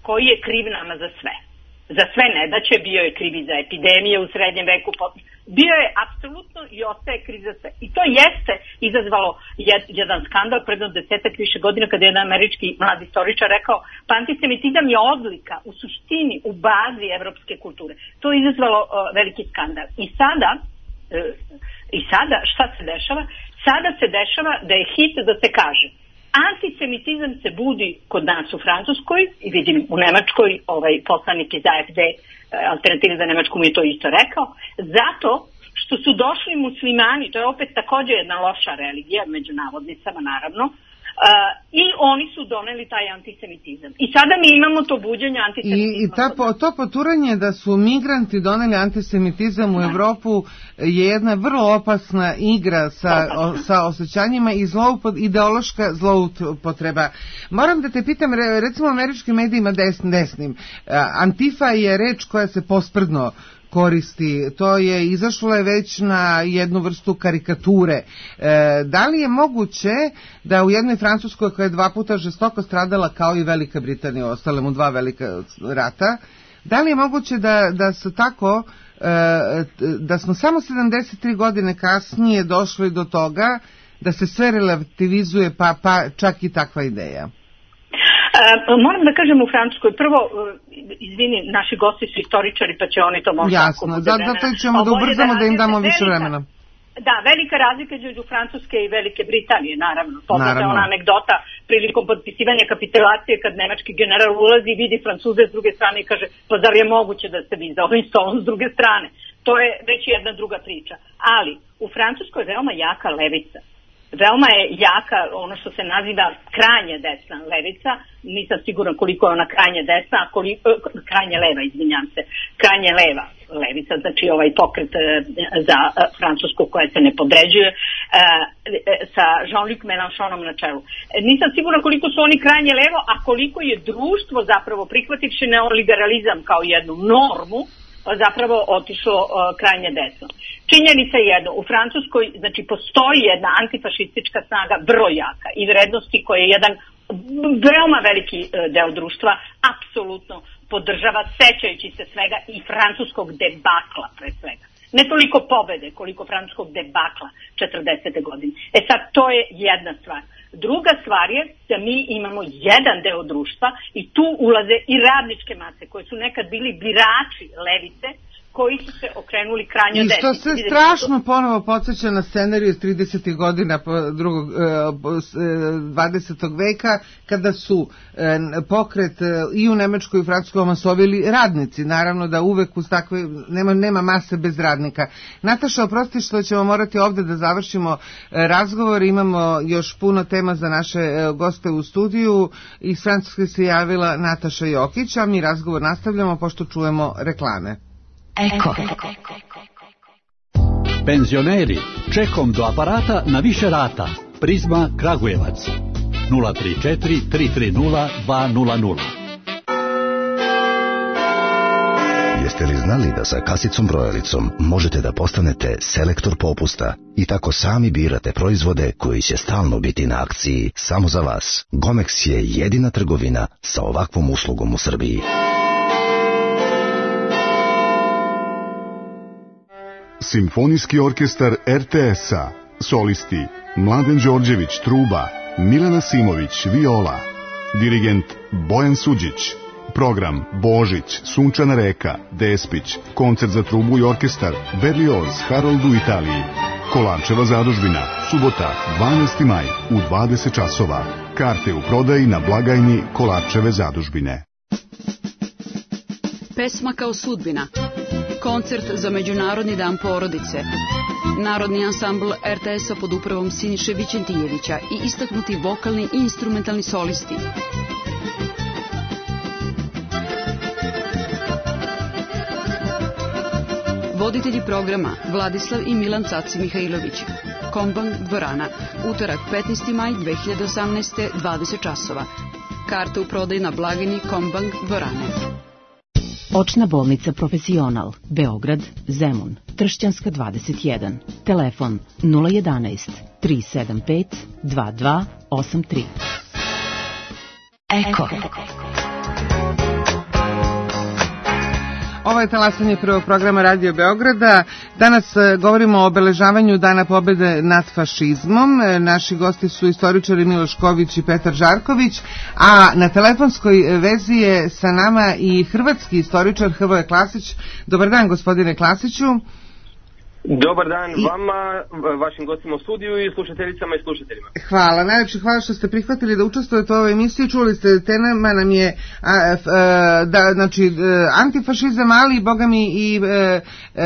I: koji je kriv nama za sve. Za sve nedaće, bio je kriv i za epidemije u srednjem veku, bio je apsolutno i ostaje kriv za sve. I to jeste izazvalo jed, jedan skandal predno desetak više godina kada je jedan američki mlad istoričar rekao pa antisemitizam je odlika u suštini, u bazi evropske kulture. To je izazvalo uh, veliki skandal. I sada, uh, i sada šta se dešava? Sada se dešava da je hit da se kaže antisemitizam se budi kod nas u Francuskoj i vidim u Nemačkoj, ovaj poslanik iz A F D Alternative za Nemačku mi je to isto rekao, zato što što su došli muslimani, to je opet također jedna loša religija, među navodnicama naravno, Uh, i oni su doneli taj antisemitizam. I sada mi imamo to buđenje antisemitizma.
D: I, i ta, po, to poturanje da su migranti doneli antisemitizam u da. Evropu je jedna vrlo opasna igra sa, o, sa osjećanjima i zloupod, ideološka zloupotreba. Moram da te pitam, recimo u američkim medijima des, desnim, Antifa je reč koja se posprdno koristi, to je izašlo je već na jednu vrstu karikature. E, da li je moguće da u jednoj Francuskoj koja je dva puta žestoko stradala kao i Velika Britanija, ostale mu dva velika rata, da li je moguće da, da su tako, e, da smo samo sedamdeset tri godine kasnije došli do toga da se sve relativizuje, pa, pa čak i takva ideja?
I: Uh, moram da kažem u Francuskoj, prvo, uh, izvini, naši gosti su istoričari, pa će oni to možda...
D: Jasno, zato ćemo da ubrzamo da im damo više vremena.
I: Da, velika razlika između Francuske i Velike Britanije, naravno. Poznata ona anegdota prilikom potpisivanja kapitulacije kad nemački general ulazi i vidi Francuze s druge strane i kaže, pa zar je moguće da ste vi za ovim stolom s druge strane? To je već jedna druga priča. Ali, u Francuskoj je veoma jaka levica. Veoma je jaka ono što se naziva krajnje desna levica, nisam siguran koliko je ona krajnje desna, a koliko, krajnje leva, izvinjam se, krajnje leva levica, znači ovaj pokret za Francusku koja se ne podređuje sa Jean-Luc Mélenchonom na čelu. Nisam siguran koliko su oni krajnje levo, a koliko je društvo zapravo prihvativši neoliberalizam kao jednu normu, zapravo otišlo uh, krajnje desno. Činjenica je jedno, u Francuskoj znači postoji jedna antifašistička snaga vrlo jaka i vrednosti koje je jedan veoma veliki uh, deo društva apsolutno podržava, sećajući se svega i francuskog debakla pre svega. Ne toliko pobede koliko francuskog debakla četrdesete godine. E sad, to je jedna stvar. Druga stvar je da mi imamo jedan deo društva i tu ulaze i radničke mase koje su nekad bili birači levice, koji su se okrenuli krajnje desni.
D: I što se strašno ponovo podsjeća na scenariju iz tridesetih godina drugog, dvadesetog veka, kada su pokret i u Nemačkoj i u Francuskoj omasovili radnici. Naravno da uvek uz takve, nema, nema mase bez radnika. Nataša, oprosti što ćemo morati ovdje da završimo razgovor. Imamo još puno tema za naše goste u studiju. Iz Francuske se javila Nataša Jokić, a mi razgovor nastavljamo pošto čujemo reklame.
B: Eko.
J: Penzioneri, čekom do aparata na više rata. Prizma Kragujevac. nula tri četiri tri tri nula dva nula nula.
K: Jeste li znali da sa kasicom brojalicom možete da postanete selektor popusta i tako sami birate proizvode koji će stalno biti na akciji samo za vas? Gomex je jedina trgovina sa ovakvom uslugom u Srbiji.
L: Simfonijski orkestar er te es-a, solisti Mladen Đorđević truba, Milena Simović viola, dirigent Bojan Suđić, program Božić, Sunčana reka, Despić, koncert za trubu i orkestar Berlioz Harold u Italiji, Kolarčeva zadužbina, subota dvanaesti maj u dvadeset časova, karte u prodaji na blagajni Kolarčeve zadužbine.
M: Pesma kao sudbina. Koncert za Međunarodni dan porodice. Narodni ansambl er te es-a pod upravom Siniše Vićentijevića i istaknuti vokalni i instrumentalni solisti. Voditelji programa Vladislav i Milan Caci Mihajlović. Kombang dvorana. Utorak petnaesti maj dve hiljade osamnaeste. dvadeset časova. Karte u prodaju na blagajni Kombang dvorane.
B: Očna bolnica Profesional, Beograd, Zemun, Tršćanska dvadeset jedan. Telefon nula jedanaest tri sedam pet dva dva osam tri. Eko.
D: Ovo je talasanje prvog programa Radio Beograda. Danas govorimo o obeležavanju Dana pobede nad fašizmom. Naši gosti su istoričari Miloš Ković i Petar Žarković, a na telefonskoj vezi je sa nama i hrvatski istoričar Hrvoje Klasić. Dobar dan, gospodine Klasiću.
N: Dobar dan vama, vašim gostima u studiju i slušateljicama i slušateljima.
D: Hvala, najlepše hvala što ste prihvatili da učestvujete u ovoj emisiji. Čuli ste, tema nam je a, f, a, da, znači, antifašizam, ali boga mi i e,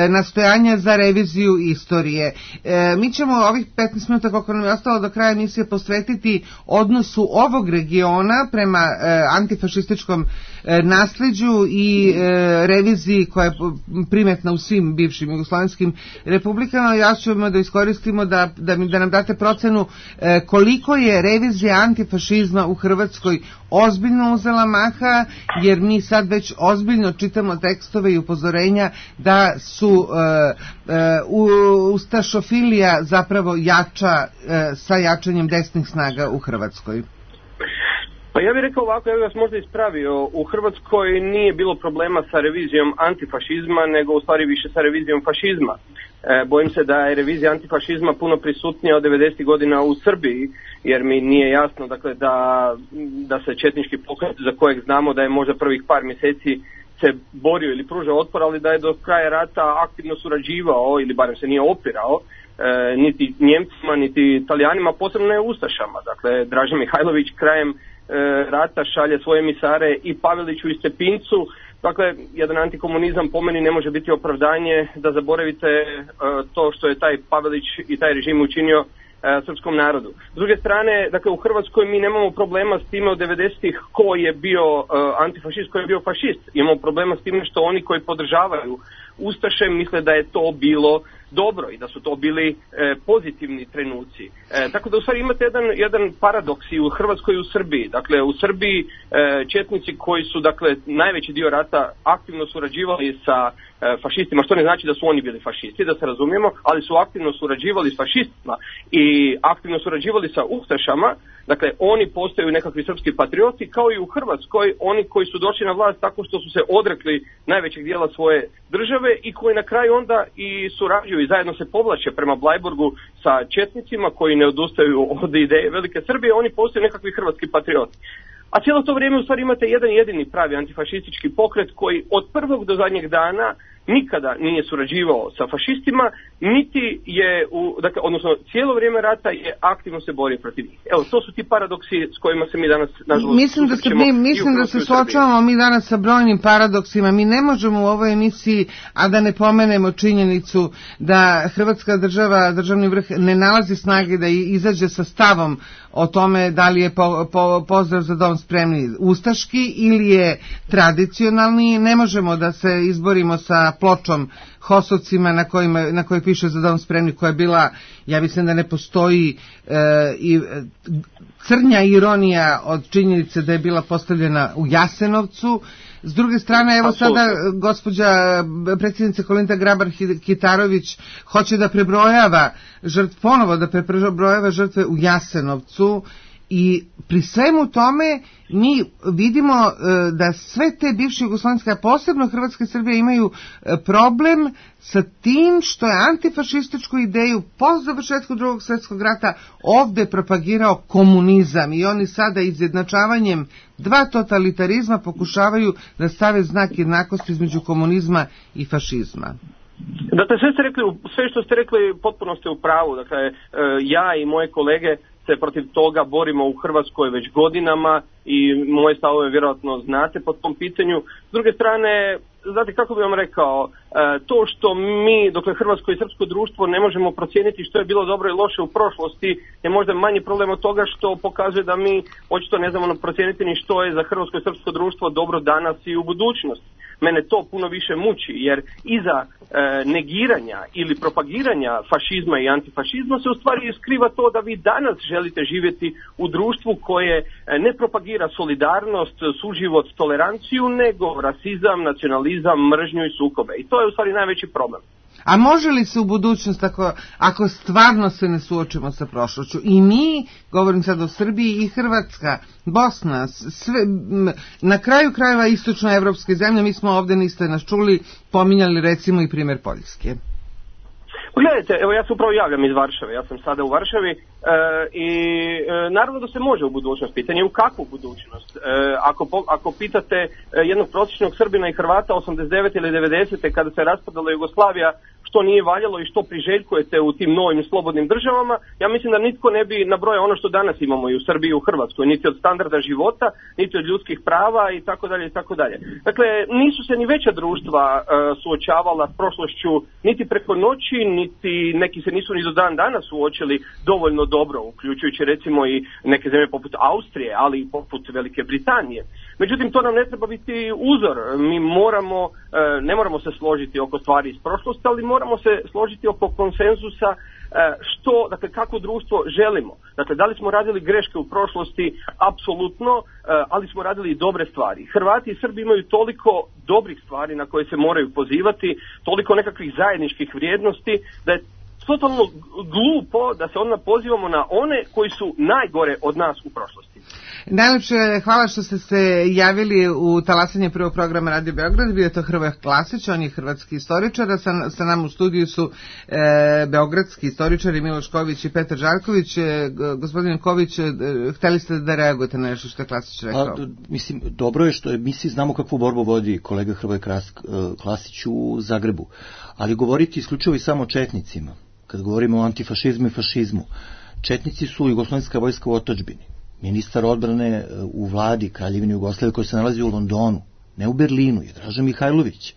D: nastojanja za reviziju istorije. E, mi ćemo ovih petnaest minuta koliko nam je ostalo do kraja emisije posvetiti odnosu ovog regiona prema e, antifašističkom e, nasleđu i e, reviziji koja je primetna u svim bivšim jugoslovenskim republikama. Ja ćemo da iskoristimo da, da, da nam date procenu e, koliko je revizija antifašizma u Hrvatskoj ozbiljno uzela maha, jer mi sad već ozbiljno čitamo tekstove i upozorenja da su e, e, u, ustašofilija zapravo jača e, sa jačanjem desnih snaga u Hrvatskoj.
N: Pa ja bih rekao ovako, ja bih vas možda ispravio, u Hrvatskoj nije bilo problema sa revizijom antifašizma, nego u stvari više sa revizijom fašizma. E, bojim se da je revizija antifašizma puno prisutnija od devedesetih godina u Srbiji, jer mi nije jasno dakle, da, da se četnički pokret, za kojeg znamo da je možda prvih par mjeseci se borio ili pružao otpor, ali da je do kraja rata aktivno surađivao ili barem se nije opirao, e, niti Njemcima, niti Italijanima, posebno ne Ustašama. Dakle, Dražen Mihajlović krajem rata šalje svoje emisare i Paveliću i Stepincu. Dakle, jedan antikomunizam po meni ne može biti opravdanje da zaboravite to što je taj Pavelić i taj režim učinio srpskom narodu. S druge strane, dakle, u Hrvatskoj mi nemamo problema s time od devedesetih ko je bio antifašist, ko je bio fašist. Imamo problema s time što oni koji podržavaju Ustaše misle da je to bilo dobro i da su to bili e, pozitivni trenuci. E, tako da u stvari imate jedan, jedan paradoks i u Hrvatskoj i u Srbiji. Dakle, u Srbiji e, četnici koji su, dakle, najveći dio rata aktivno surađivali sa e, fašistima, što ne znači da su oni bili fašisti, da se razumijemo, ali su aktivno surađivali s fašistima i aktivno surađivali sa Ustašama. Dakle, oni postaju nekakvi srpski patrioti, kao i u Hrvatskoj, oni koji su došli na vlast tako što su se odrekli najvećeg dijela svoje države i koji na kraju onda i surađuju i zajedno se povlače prema Blajburgu sa četnicima koji ne odustaju od ideje Velike Srbije, oni postaju nekakvi hrvatski patrioti. A cijelo to vrijeme u stvari imate jedan jedini pravi antifašistički pokret koji od prvog do zadnjeg dana nikada nije surađivao sa fašistima, niti je, u, dakle, odnosno cijelo vrijeme rata je aktivno se borio protiv njih. Evo, to su ti paradoksi s kojima se mi danas, nažalost,
D: mislim da se, mi, mislim da se suočavamo mi danas sa brojnim paradoksima. Mi ne možemo u ovoj emisiji, a da ne pomenemo činjenicu da Hrvatska država, državni vrh ne nalazi snage da izađe sa stavom o tome da li je po, po, pozdrav za dom spremni ustaški ili je tradicionalni. Ne možemo da se izborimo sa pločom Hosovcima na, kojima, na kojoj piše za dom spremni, koja je bila, ja mislim da ne postoji e, i crnja ironija od činjenice da je bila postavljena u Jasenovcu. S druge strane, evo sada gospođa predsjednica Kolinda Grabar-Kitarović hoće da prebrojava žrtve, ponovo da prebrojava žrtve u Jasenovcu. I pri svemu tome mi vidimo da sve te bivše jugoslovenske, a posebno Hrvatska i Srbija, imaju problem sa tim što je antifašističku ideju po završetku drugog svjetskog rata ovde propagirao komunizam i oni sada izjednačavanjem dva totalitarizma pokušavaju da stave znak jednakosti između komunizma i fašizma.
N: Dakle, sve ste rekli, sve što ste rekli potpuno ste u pravu. Dakle, ja i moje kolege se protiv toga borimo u Hrvatskoj već godinama i moje stavove vjerojatno znate po tom pitanju. S druge strane, znate kako bih vam rekao, to što mi, dokle hrvatsko i srpsko društvo ne možemo procijeniti što je bilo dobro i loše u prošlosti, je možda manji problem od toga što pokazuje da mi očito ne znamo procijeniti ni što je za hrvatsko i srpsko društvo dobro danas i u budućnosti. Mene to puno više muči, jer iza e, negiranja ili propagiranja fašizma i antifašizma se u stvari skriva to da vi danas želite živjeti u društvu koje ne propagira solidarnost, suživot, toleranciju, nego rasizam, nacionalizam, mržnju i sukobe. I to je u stvari najveći problem.
D: A može li se u budućnost, ako, ako stvarno se ne suočimo sa prošlošću, i mi, govorim sad o Srbiji, i Hrvatska, Bosna, sve, na kraju krajeva istočnoevropske zemlje, mi smo ovdje, niste nas čuli, pominjali recimo i primjer Poljske.
N: Gledajte, evo ja se upravo javljam iz Varšave, ja sam sada u Varšavi, e, i e, naravno da se može u budućnost. Pitanje u kakvu budućnost. E, ako, po, ako pitate jednog prosječnog Srbina i Hrvata osamdeset devete ili devedesete kada se raspadala Jugoslavija, što nije valjalo i što priželjkujete u tim novim slobodnim državama, ja mislim da nitko ne bi nabrojao ono što danas imamo i u Srbiji i u Hrvatskoj, niti od standarda života, niti od ljudskih prava i tako dalje i tako dalje. Dakle, nisu se ni veća društva uh, suočavala s prošlošću niti preko noći, niti neki se nisu ni do dan danas suočili dovoljno dobro, uključujući recimo i neke zemlje poput Austrije, ali i poput Velike Britanije. Međutim, to nam ne treba biti uzor. Mi moramo, uh, ne moramo se složiti oko stvari iz prošlosti, ali moramo se složiti oko konsenzusa što, dakle, kako društvo želimo. Dakle, da li smo radili greške u prošlosti? Apsolutno, ali smo radili i dobre stvari. Hrvati i Srbi imaju toliko dobrih stvari na koje se moraju pozivati, toliko nekakvih zajedničkih vrijednosti, da je totalno glupo da se onda pozivamo na one koji su najgore od nas u prošlosti.
D: Najlepše hvala što ste se javili u talasanje prvog programa Radio Beograd. Bio je to Hrvoje Klasić, on je hrvatski istoričar, a sa, sa nam u studiju su e, beogradski istoričari Miloš Ković i Petar Žarković. E, gospodine Ković, e, hteli ste da reagujete na nešto što je Klasić rekao?
E: A, mislim, dobro je što je, mi svi znamo kakvu borbu vodi kolega Hrvoje Klasić u Zagrebu, ali govoriti isključivo i samo o četnicima. Kad govorimo o antifašizmu i fašizmu, četnici su jugoslovenska vojska u otadžbini. Ministar odbrane u vladi Kraljevine Jugoslavije koji se nalazi u Londonu, ne u Berlinu, je Draža Mihajlović.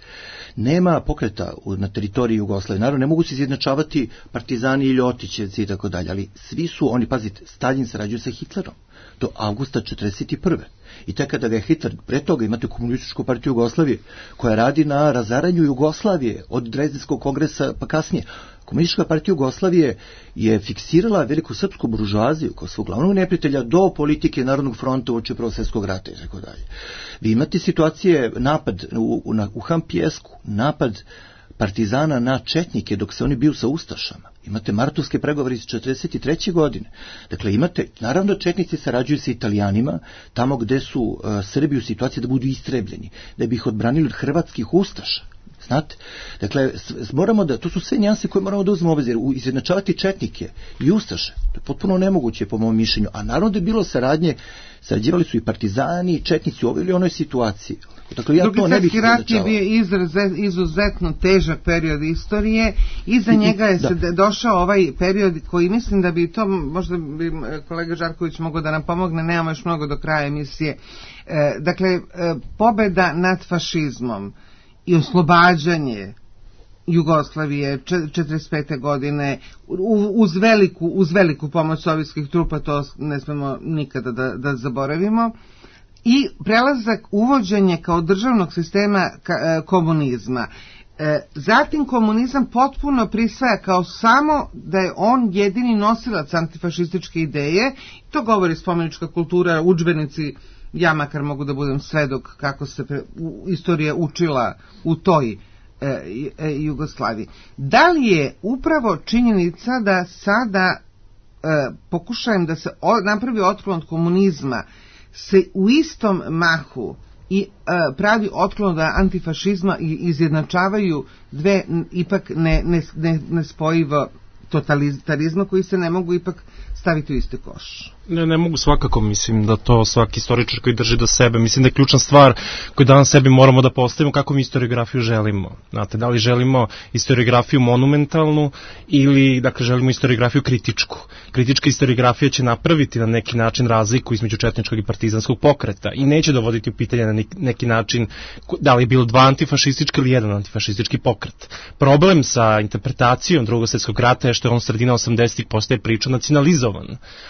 E: Nema pokreta na teritoriji Jugoslavije. Naravno, ne mogu se izjednačavati partizani i ljotićevci i tako dalje, ali svi su oni, pazite, Stalin sarađuje sa Hitlerom do avgusta četrdeset prve. I tek kada ga je Hitler, pre toga imate Komunističku partiju Jugoslavije, koja radi na razaranju Jugoslavije od Drezdenskog kongresa pa kasnije. Komunistička partija Jugoslavije je fiksirala veliku srpsku buržoaziju kao svog glavnog neprijatelja do politike Narodnog fronta uoči Prvog svjetskog rata i tako dalje. Vi imate situacije, napad u, u, u Hampijesku, napad partizana na četnike dok se oni biju sa ustašama. Imate martovske pregovore iz četrdeset treće godine. Dakle, imate, naravno četnici sarađuju sa Italijanima tamo gde su uh, Srbi u situaciji da budu istrebljeni, da bi ih odbranili od hrvatskih ustaša. Znate, dakle, moramo da, to su sve nijanse koje moramo da uzmemo u obzir. Izjednačavati četnike i ustaše, to je potpuno nemoguće po mom mišljenju. A naravno da je bilo saradnje, sarađivali su i partizani i četnici u ovoj ili onoj situaciji. Dakle, ja
D: Drugi svjetski rat je bio izuzetno težak period istorije i za njega je se da. došao ovaj period koji mislim da bi to, možda bi kolega Žarković mogao da nam pomogne, nemamo još mnogo do kraja emisije. E, dakle, e, pobeda nad fašizmom i oslobađanje Jugoslavije četrdeset pete godine uz veliku, uz veliku pomoć sovjetskih trupa, to ne smemo nikada da, da zaboravimo, i prelazak, uvođenje kao državnog sistema komunizma. Zatim komunizam potpuno prisvaja kao samo da je on jedini nosilac antifašističke ideje, to govori spomenička kultura, udžbenici. Ja makar mogu da budem svedok kako se pre, u, istorija učila u toj e, e, Jugoslaviji. Da li je upravo činjenica da sada e, pokušajem da se o, napravi otklon od komunizma se u istom mahu i e, pravi otklon od antifašizma i izjednačavaju dve ipak ne, ne, ne, nespojivo totalitarizma koji se ne mogu ipak staviti u isti koš?
F: Ne, ne mogu svakako, mislim da to svaki istoričar koji drži do sebe, mislim da je ključna stvar koju danas sebi moramo da postavimo kako mi historiografiju želimo. Znate, da li želimo historiografiju monumentalnu ili, dakle, želimo historiografiju kritičku. Kritička historiografija će napraviti na neki način razliku između četničkog i partizanskog pokreta i neće dovoditi u pitanje na neki način da li je bilo dva antifašistička ili jedan antifašistički pokret. Problem sa interpretacijom Drugog svjetskog rata je što je on sredina osamdesetih postaje priča nacionalizovan.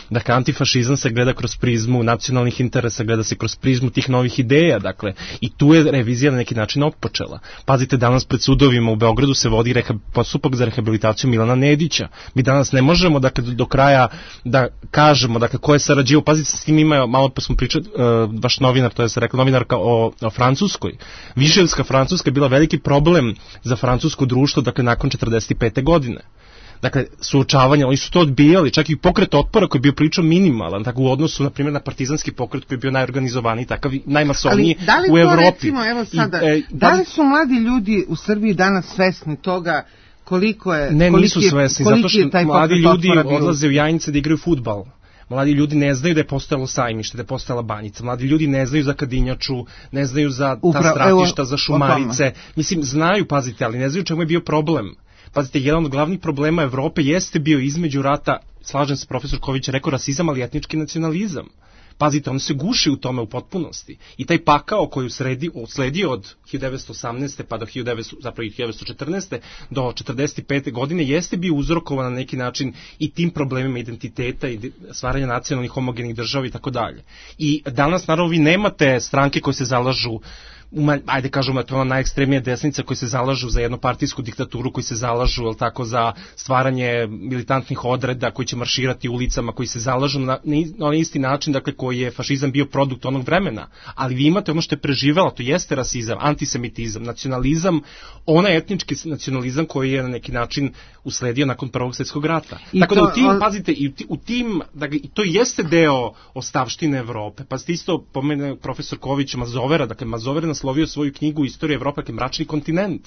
F: Dakle, antifašizam se gleda kroz prizmu nacionalnih interesa, gleda se kroz prizmu tih novih ideja, dakle, i tu je revizija na neki način otpočela. Pazite, danas pred sudovima u Beogradu se vodi reha, postupak za rehabilitaciju Milana Nedića. Mi danas ne možemo, dakle, do, do kraja da kažemo, dakle, ko je sarađivao. Pazite, s tim ima, malo pa smo pričali, uh, vaš novinar, to je se rekla novinarka o, o Francuskoj. Viševska Francuska je bila veliki problem za francusko društvo, dakle, nakon četrdeset pete godine. Dakle, suočavanja, oni su to odbijali, čak i pokret otpora koji je bio pričao minimalan, tako u odnosu, na primjer, na partizanski pokret koji je bio najorganizovaniji, takav najmasovniji u Evropi.
D: Recimo, evo sada, I, e, da li su mladi ljudi u Srbiji danas svesni toga koliko je...
F: Ne, nisu
D: je,
F: svesni, zato što mladi ljudi odlaze u Jajnice da igraju fudbal. Mladi ljudi ne znaju da je postojalo Sajmište, da je postojala Banjica. Mladi ljudi ne znaju za Kadinjaču, ne znaju za ta Upravo, stratišta, evo, za Šumarice. Mislim, znaju, pazite, ali ne znaju čemu je bio problem. Pazite, jedan od glavnih problema Evrope jeste bio između rata, slažem se, profesor Ković je rekao rasizam, ali etnički nacionalizam. Pazite, on se guši u tome u potpunosti. I taj pakao koji usledi, usledi od hiljadu devetsto osamnaeste pa do hiljadu devetsto, zapravo hiljadu devetsto četrnaeste do četrdeset pete godine jeste bio uzrokovan na neki način i tim problemima identiteta i stvaranja nacionalnih homogenih država i tako dalje. I danas, naravno, vi nemate stranke koje se zalažu, ajde kažemo, to je ona najekstremnija desnica koji se zalažu za jednopartijsku diktaturu, koji se zalažu, jel tako, za stvaranje militantnih odreda, koji će marširati ulicama, koji se zalažu na, na isti način, dakle, koji je fašizam bio produkt onog vremena. Ali vi imate ono što je preživelo, to jeste rasizam, antisemitizam, nacionalizam, onaj etnički nacionalizam koji je na neki način usledio nakon Prvog svjetskog rata. I tako to, da u tim, on... pazite, i u tim, dakle, to jeste deo ostavštine Evrope. Pazite, isto pomene profesor Ković Mazovera, dakle, Mazover naslovio svoju knjigu Istorija Evrope, dakle, mračni kontinent.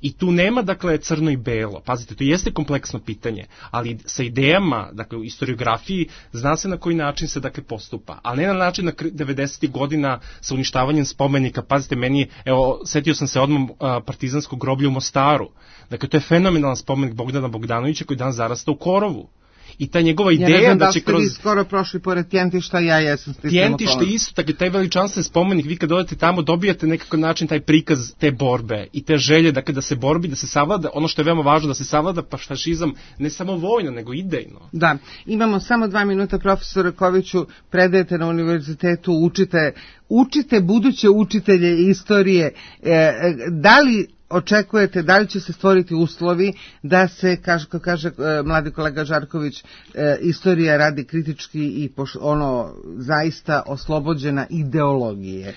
F: I tu nema, dakle, crno i belo. Pazite, to jeste kompleksno pitanje, ali sa idejama, dakle, u historiografiji zna se na koji način se, dakle, postupa. Ali ne na način na devedesetih godina sa uništavanjem spomenika. Pazite, meni, evo, setio sam se odmah partizanskog groblja u Mostaru. Dakle, to je fenomenalan spomenik Bogdana Bogdanovića koji dan zarasta u korovu. I ta njegova ideja ja ne znam da, da će kroz...
D: Ja skoro prošli pored Tjentišta, ja jesam stisnemo
F: Tjentište isto, tako taj veličanstven spomenik, vi kad odete tamo dobijate nekako način taj prikaz te borbe i te želje, dakle, da se borbi, da se savlada, ono što je veoma važno, da se savlada pa fašizam ne samo vojno, nego idejno.
D: Da, imamo samo dva minuta, profesor Koviću, predajete na univerzitetu, učite, učite buduće učitelje istorije, e, da li očekujete, da li će se stvoriti uslovi da se, kaže, kako kaže e, mladi kolega Žarković, e, istorija radi kritički i poš, ono zaista oslobođena ideologije?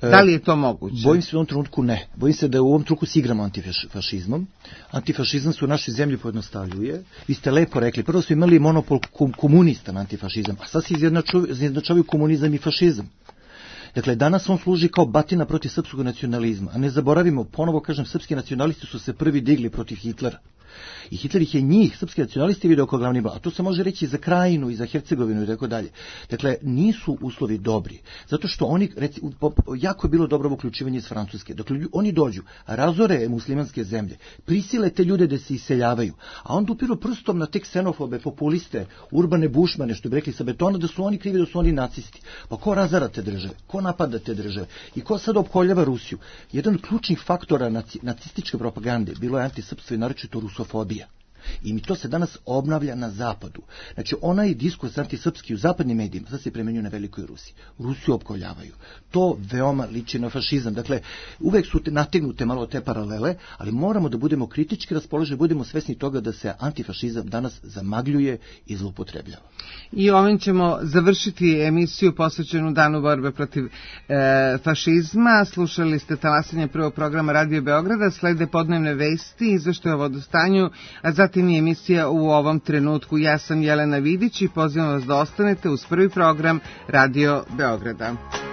D: Da li je to moguće?
E: Bojim se u ovom trenutku ne. Bojim se da u ovom trenutku se igramo antifašizmom. Antifašizam se u našoj zemlji pojednostavljuje. Vi ste lepo rekli, prvo smo imali monopol komunista na antifašizam, a sad se izjednačavaju komunizam i fašizam. Dakle, danas on služi kao batina protiv srpskog nacionalizma, a ne zaboravimo, ponovo kažem, srpski nacionalisti su se prvi digli protiv Hitlera. I Hitler ih je njih, srpski nacionalisti, video kao glavni blag. A to se može reći i za Krajinu, i za Hercegovinu i tako dalje. Dakle, nisu uslovi dobri. Zato što oni, reci, jako je bilo dobro uključivanje iz Francuske. Dakle, oni dođu, razore muslimanske zemlje, prisile te ljude da se iseljavaju, a onda upiru prstom na te ksenofobe, populiste, urbane bušmane, što bi rekli sa betona, da su oni krivi, da su oni nacisti. Pa ko razara te države? Ko napada te države? I ko sad opkoljava Rusiju? Jedan od ključnih faktora naci, nacističke propagande bilo je antisrpstvo i naročito rusofobija. I mi to se danas obnavlja na zapadu. Znači, onaj diskurs antisrpski u zapadnim medijima sad se primenjuje na Velikoj Rusiji. Rusiju opkoljavaju. To veoma liči na fašizam. Dakle, uvek su te, nategnute malo te paralele, ali moramo da budemo kritički raspoloženi, budemo svesni toga da se antifašizam danas zamagljuje i zloupotrebljava.
D: I ovim ćemo završiti emisiju posvećenu Danu borbe protiv e, fašizma. Slušali ste talasanje prvog programa Radio Beograda, slede podnevne vesti, izveštaje o vodostanju, a zatim i emisija U ovom trenutku. Ja sam Jelena Vidić i pozivam vas da ostanete uz prvi program Radio Beograda.